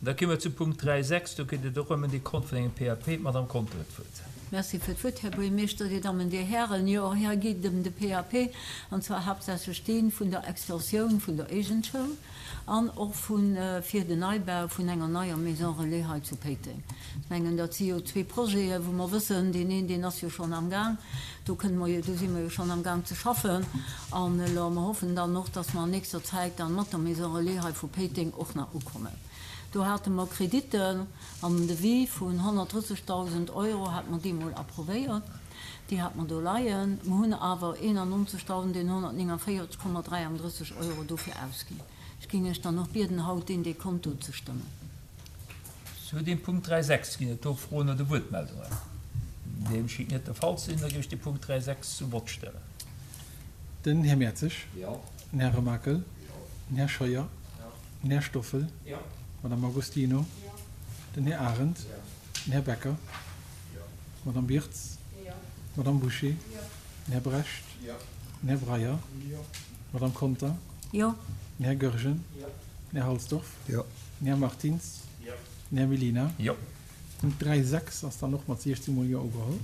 Da gi mer zum Punkt 3,6. Do geet et och ëm en Dekont vun engem PAP. D'Madame Conter huet d'Wuert. Merci fir d'Wuert, Här Buergermeeschter, Dir Dammen, Dir Hären. Jo, och hei geet et ëm de PAP, an zwar haaptsächlech dee vun der Extensioun vun der Éigenschoul an och vu fir den Neibau vun enger neier Maison relais hei zu Péiteng. Ech mengen, dat si jo zwee Projete wou mer wëssen, deen een, deen ass jo schonn amgaang, do kënne mer jo, do si mer jo schonn amgaang ze schaffen an elo mer hoffen dann och, dass mer an nächster Zäit dann mat der Maison relais hei vu Péiteng och nach ukommen. Do hate mer Kreditte an den Devis vun 130.000 Euro hate mer deemol approvéiert. Déi hate mer do leien. Mer hunn awer 91.149,33 Euro dofir ausginn. Ech géing Iech dann och bieden, haut deen Dekont do ze stëmmen. Zu deem Punkt 3,6 ginn et do Froen oder Wuertmeldungen? Deem schéngt net de Fall ze sinn. Da géif ech de Punkt 3,6 zum Vott stellen. Den Här Mertzig. Den Här Remakel. Den Här Scheuer. Den Här Stoffel. D'Madame Agostino. Den Här Arendt. Den Här Becker. D'Madame Birtz. D'Madame Bouché. Den Här Brecht. Den Här Breyer. D'Madame Conter. Den Här Goergen. Den Här Halsdorf. Den Här Martins. Den Här Mellina. Punkt 3, 6 ass dann och mat 16 mol Jo ugeholl.